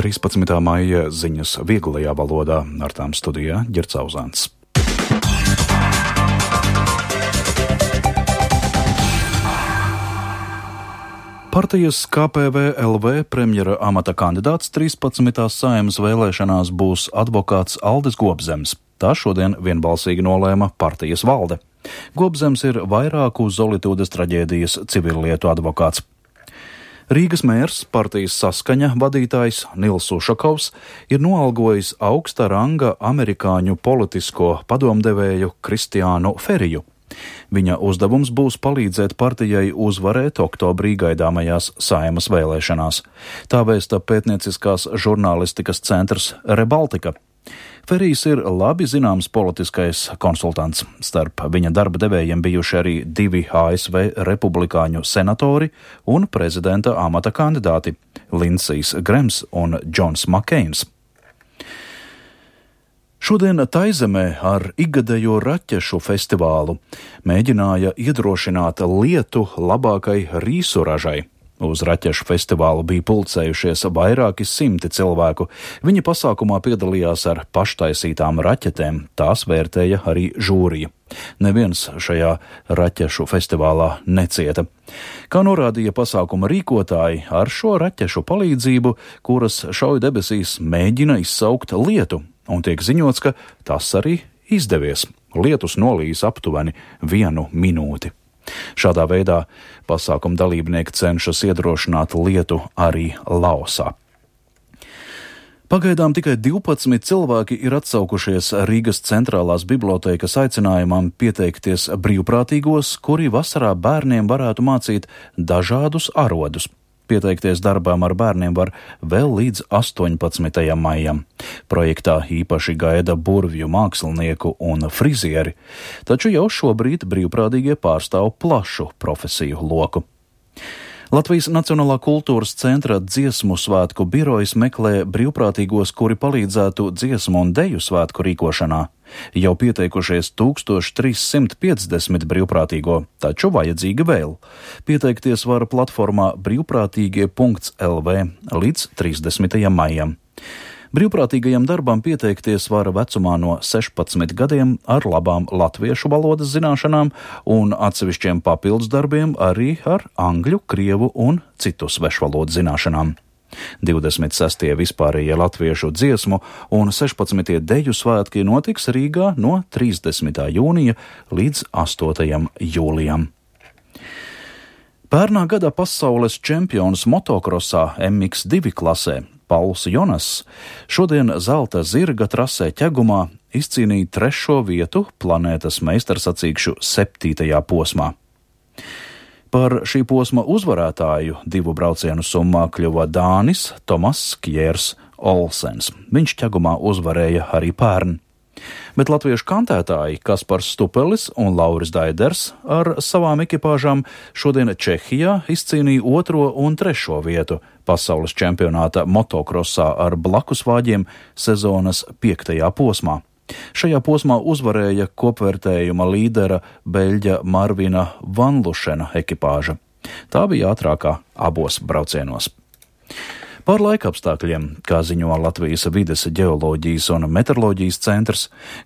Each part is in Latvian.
13. maija ziņas vieglajā valodā, ar tām studijā Ģerts Auzāns. Partijas KPVLV premjera amata kandidāts 13. Saeimas vēlēšanās būs advokāts Aldis Gobzems. Tā šodien vienbalsīgi nolēma partijas valde. Gobzems ir vairāku Zolitūdes traģēdijas civillietu advokāts. Rīgas mērs, partijas Saskaņa vadītājs Nils Ušakovs ir noalgojis augsta ranga amerikāņu politisko padomdevēju Kristiānu Feriju. Viņa uzdevums būs palīdzēt partijai uzvarēt oktobrī gaidāmajās Saeimas vēlēšanās. Tā vēsta pētnieciskās žurnālistikas centrs Rebaltika. Ferijs ir labi zināms politiskais konsultants. Starp viņa darba devējiem bijuši arī 2 ASV republikāņu senatori un prezidenta amata kandidāti – Lindsijs Grems un Džons Makeins. Šodien Taizemē ar ikgadējo raķešu festivālu mēģināja iedrošināt lietu labākai rīsu ražai. Uz raķešu festivālu bija pulcējušies vairāki 100 cilvēku. Viņi pasākumā piedalījās ar paštaisītām raķetēm, tās vērtēja arī žūrija. Neviens šajā raķešu festivālā necieta. Kā norādīja pasākuma rīkotāji, ar šo raķešu palīdzību, kuras šauj debesīs, mēģina izsaukt lietu. Un tiek ziņots, ka tas arī izdevies. Lietus nolīs aptuveni 1 minūti. Šādā veidā pasākuma dalībnieki cenšas iedrošināt lietu arī Laosā. Pagaidām tikai 12 cilvēki ir atsaukušies Rīgas centrālās bibliotēkas aicinājumam pieteikties brīvprātīgos, kuri vasarā bērniem varētu mācīt dažādus arodus. Pieteikties darbām ar bērniem var vēl līdz 18. maijam. Projektā īpaši gaida burvju mākslinieku un frizieri, taču jau šobrīd brīvprātīgie pārstāv plašu profesiju loku. Latvijas Nacionālā kultūras centra dziesmu svētku birojas meklē brīvprātīgos, kuri palīdzētu dziesmu un deju svētku rīkošanā. Jau pieteikušies 1350 brīvprātīgo, taču vajadzīga vēl. Pieteikties var platformā brīvprātīgie.lv līdz 30. maijam. Brīvprātīgajam darbam pieteikties var vecumā no 16 gadiem ar labām latviešu valodas zināšanām un atsevišķiem papildus darbiem arī ar angļu, krievu un citu svešvalodu zināšanām. 26. vispārējie latviešu dziesmu un 16. deju svētki notiks Rīgā no 30. jūnija līdz 8. jūlijam. Pērnā gada pasaules čempions motokrosā MX2 klasē Pauls Jonas šodien zelta zirga trasē Ķegumā izcīnīja 3. vietu planētas meistarsacīkšu 7. posmā. Par šī posma uzvarētāju 2 braucienu summā kļuva dānis Tomas Kjērs Olsens. Viņš Ķegumā uzvarēja arī pērn. Bet latviešu kantētāji Kaspars Stupelis un Lauris Daiders ar savām ekipāžām šodien Čehijā izcīnīja 2. un 3. vietu pasaules čempionāta motokrosā ar blakusvāģiem sezonas 5. posmā. Šajā posmā uzvarēja kopvērtējuma līdera beļģa Marvina Vanlušena ekipāža. Tā bija ātrākā abos braucienos. Par laikapstākļiem, kā ziņo Latvijas vides ģeoloģijas un meteoroloģijas centrs,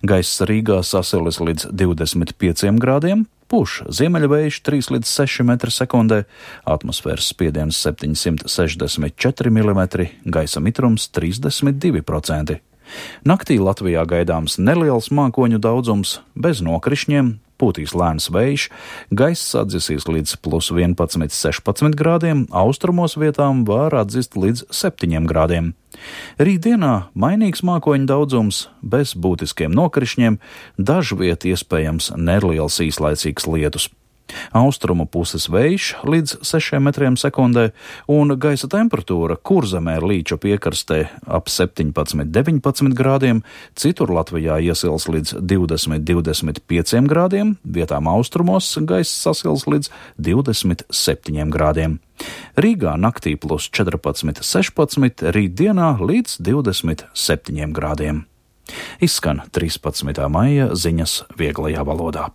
gaiss Rīgā sasilis līdz 25 grādiem, puš ziemeļvējš 3 līdz 6 metri sekundē, atmosfēras spiediens 764 mm, gaisa mitrums 32%. Naktī Latvijā gaidāms neliels mākoņu daudzums, bez nokrišņiem, pūtīs lēns vējš, gaiss atdzisīs līdz plus 11–16 grādiem, austrumos vietām var atzist līdz 7 grādiem. Rītdienā mainīgs mākoņu daudzums, bez būtiskiem nokrišņiem, dažviet iespējams neliels īslaicīgs lietus. Austrumu puses vējš līdz 6 metriem sekundē un gaisa temperatūra Kurzemē Līča piekrastē ap 17–19 grādiem, citur Latvijā iesils līdz 20–25 grādiem, vietām austrumos gaiss sasils līdz 27 grādiem. Rīgā naktī plus 14–16, rītdienā līdz 27 grādiem. Izskan 13. maija ziņas vieglajā valodā.